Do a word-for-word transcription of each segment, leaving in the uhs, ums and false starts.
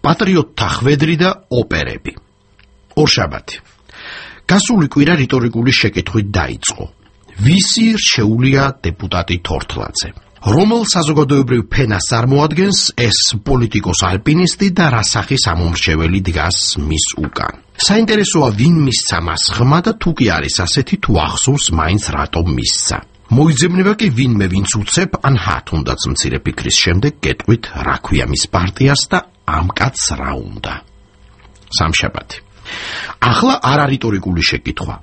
პატრიოტთა ხვედრი და ოპერები. ორშაბათი. გასული კვირა რიტორიკული შეკითხვით დაიწყო. ვისი რჩეულია დეპუტატი თორთლაძე? რომელ საზოგადოებრივ ფენას წარმოადგენს ეს პოლიტიკოს ალპინისტი და რა სახის ამომრჩეველი დგას მის უკან? საინტერესოა ვინ მისცა მას ხმა და თუ კი არის ასეთი თუ ახსოვს მაინც რატომ მისცა. მოიძებნება კი ვინმე ვინც უცებ ან ჰა თუნდაც მცირე ფიქრის შემდეგ გეტყვით რა ქვია მის პარტიას და ამ კაცს რა უნდა. სამშაბათი. ახლა არა რიტორიკული შეკითხვა.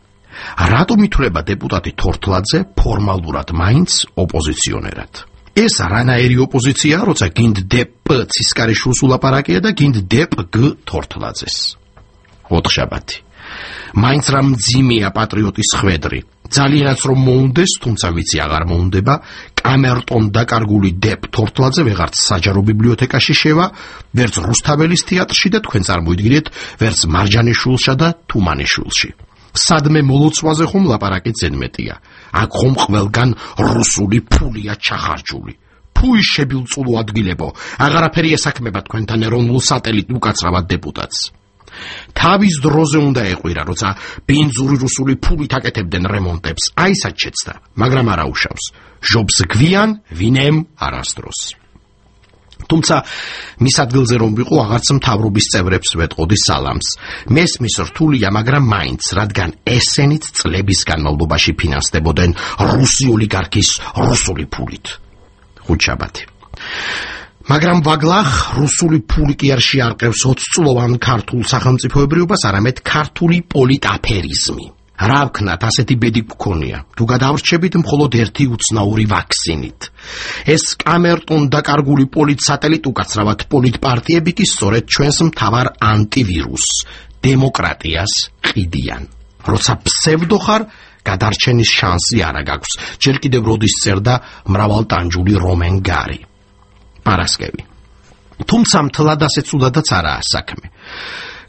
რატომ ითვლება დეპუტატი თორთლაძე ფორმალურად მაინც ოპოზიციონერად? ეს რანაირი ოპოზიცია, როცა გინდ დპ ცისკარიშვილს ულაპარაკია და გინდ დპგ თორთლაძეს. ოთხშაბათი. მაინც რა მძიმეა პატრიოტის ხვედრი. ძალიანაც რომ მოუნდეს, თუმცა ვიცი აღარ მოუნდება, კამერტონ დაკარგული დპ თორთლაძე ვეღარც საჯარო ბიბლიოთეკაში შევა, ვერც რუსთაველის თეატრში და თქვენ წარმოიდგინეთ, ვერც მარჯანიშვილსა და თუმანიშვილში. სადმე მოლოცვაზე ხომ ლაპარაკი ზედმეტია. აქ ხომ ყველგან რუსული ფულია ჩახარჯული. ფუი შებილწულო ადგილებო, აღარაფერი ესაქმება თქვენთან ეროვნულ სატელიტ უკაცრავად დეპუტატს. თავის დროზე უნდა ეყვირა, როცა ბენზური რუსული ფულით აკეთებდნენ რემონტებს, აი სად შეცდა, მაგრამ არა უშავს. ჟობს გვიან, ვინემ არასდროს. თუმცა მის ადგილზე რომ ვიყო, აღარც მთავრობის წევრებს ვეტყოდი სალამს. მესმის რთულია, მაგრამ მაინც, რადგან ესენით წლების განმავლობაში ფინანსდებოდნენ რუსი ოლიგარქის რუსული ფულით. ხუთშაბათი. მაგრამ ვაგლახ რუსული ფული კი არ შეარყევს ოცწლოვან ქართულ სახელმწიფოებრიობას, არამედ ქართული პოლიტაფერიზმი. რა ვქნათ, ასეთი ბედი გქონია, თუ გადავრჩებით მხოლოდ ერთი უცნაური ვაქსინით. ეს კამერტონ დაკარგული პოლიტ სატელიტ უკაცრავად პოლიტ პარტიები კი სწორედ ჩვენს მთავარ ანტივირუს დემოკრატიას ყიდიან. როცა ფსევდო ხარ, გადარჩენის შანსი არა გაქვს. ჯერ კიდევ როდის წერდა მრავალტანჯული რომენ გარი. პარასკევი. თუმცა მთლად ასე ცუდადაც არაა საქმე.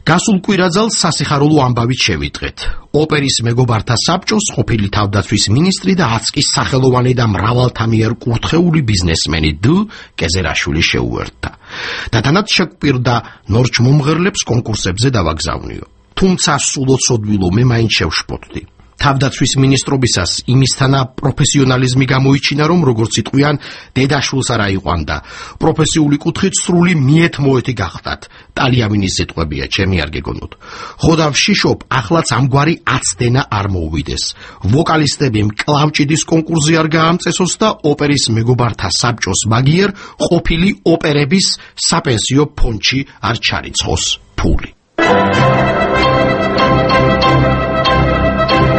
გასულ კვირაძალს სასიხარულო ამბავით შევიტყეთ. ოპერის მეგობართა საბჭოს ყოფილი თავდაცვის მინისტრი და აცკის სახელოვანი და მრავალთამიერ კურთხეული ბიზნესმენი დ კეზერაშვილი შეუერთდა. და თანაც შეგვპირდა ნორჩ მომღერლებს კონკურსებზე დავაგზავნიო. თუმცა სულოცოდვილო მე მაინც შევშფოთდი. თავდაცვის მინისტრობისას იმისთანა პროფესიონალიზმი გამოიჩინა, რომ როგორც იტყვიან, დედაშვილს არა იყვანდა. პროფესიული კუთხით სრული მიეთ-მოეთი გახდათ. ტალიამინის სიტყვებია, ჩემი არ გეგონოთ. ხოდა ვშიშობ, ახლაც ამგვარი აცდენა არ მოუვიდეს. ვოკალისტები მკლავჭიდის კონკურსზე არ გაამწესოს და ოპერის მეგობართა საბჭოს მაგიერ ყოფილი ოპერების საპენსიო ფონდში არ ჩარიცხოს ფული.